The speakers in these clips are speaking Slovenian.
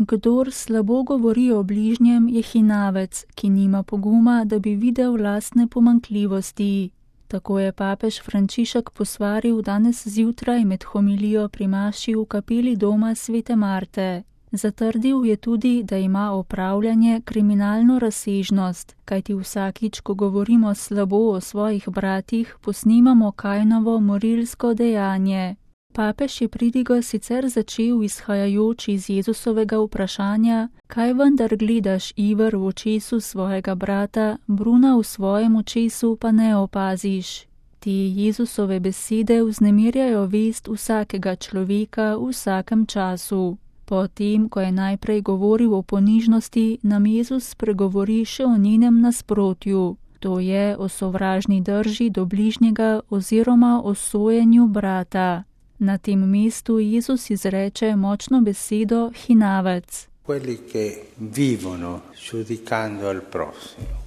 Kdor slabo govori o bližnjem, je hinavec, ki nima poguma, da bi videl lastne pomanjkljivosti. Tako je papež Frančišek posvaril danes zjutraj med homilijo pri maši v kapeli doma Svete Marte. Zatrdil je tudi, da ima opravljanje kriminalno razsežnost, kajti vsakič, ko govorimo slabo o svojih bratih, posnemamo Kainovo morilsko dejanje. Papež je pridigo sicer začel izhajajoč iz Jezusovega vprašanja, kaj vendar gledaš iver v očesu svojega brata, bruna v svojem očesu pa ne opaziš. Te Jezusove besede vznemirjajo vest vsakega človeka v vsakem času. Potem, ko je najprej govoril o ponižnosti, nam Jezus spregovori še o njenem nasprotju, to je o sovražni drži do bližnjega oziroma o sojenju brata. Na tem mestu Jezus izreče močno besedo hinavec. Quelli che vivono giudicando il prossimo,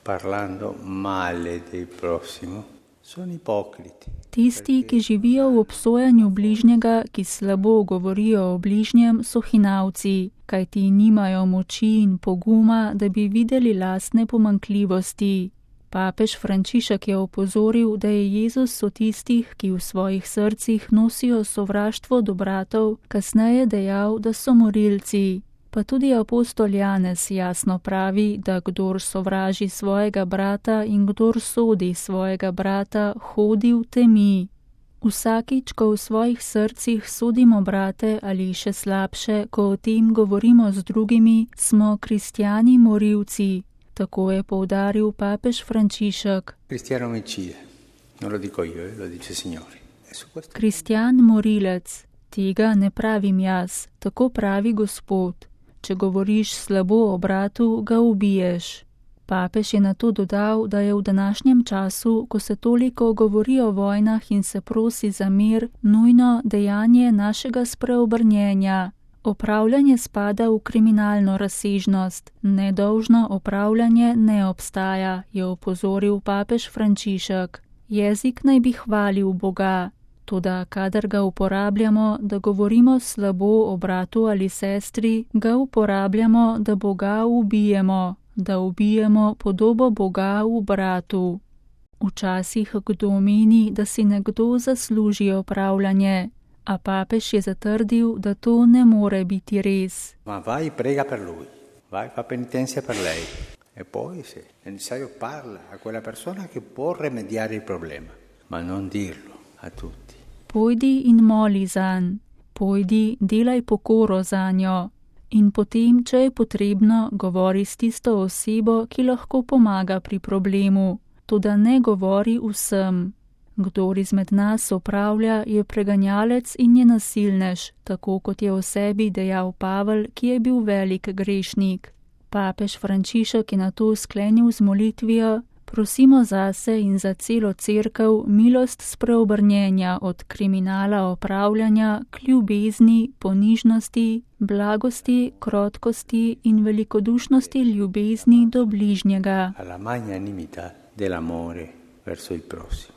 parlando male del prossimo, sono ipocriti. Tisti, ki živijo v obsojanju bližnjega, ki slabo govorijo o bližnjem, so hinavci, kajti nimajo moči in poguma, da bi videli lastne pomanjkljivosti. Papež Frančišek je opozoril, da je Jezus o tistih, ki v svojih srcih nosijo sovraštvo do bratov, kasneje dejal, da so morilci. Pa tudi apostol Janez jasno pravi, da kdor sovraži svojega brata in kdor sodi svojega brata, hodi v temi. Vsakič, ko v svojih srcih sodimo brate ali še slabše, ko o tem govorimo z drugimi, smo kristjani morilci. Tako je poudaril papež Frančišek. Kristjan morilec, tega ne pravim jaz, tako pravi Gospod. Če govoriš slabo o bratu, ga ubiješ. Papež je nato dodal, da je v današnjem času, ko se toliko govori o vojnah in se prosi za mir, nujno dejanje našega spreobrnjenja. Opravljanje spada v kriminalno razsežnost, nedolžno opravljanje ne obstaja, je opozoril papež Frančišek. Jezik naj bi hvalil Boga, toda kadar ga uporabljamo, da govorimo slabo o bratu ali sestri, ga uporabljamo, da Boga ubijemo, da ubijemo podobo Boga v bratu. Včasih kdo meni, da si nekdo zasluži opravljanje, a papež je zatrdil, da to ne more biti res. Ma vai prega per lui, vai fa penitenza per lei e poi se è necessario parla a quella persona che può remediare il problema, ma non dirlo a tutti. Pojdi in moli zanj, pojdi, delaj pokoro zanjo in potem, če je potrebno, govori s tisto osebo, ki lahko pomaga pri problemu, toda ne govori vsem. Kdor izmed nas opravlja, je preganjalec in je nasilnež, tako kot je o sebi dejal Pavel, ki je bil velik grešnik. Papež Frančišek je nato sklenil z molitvijo: prosimo zase in za celo cerkev milost spreobrnjenja od kriminala opravljanja k ljubezni, ponižnosti, blagosti, krotkosti in velikodušnosti ljubezni do bližnjega. Alla magnanimità dell'amore verso il prossimo.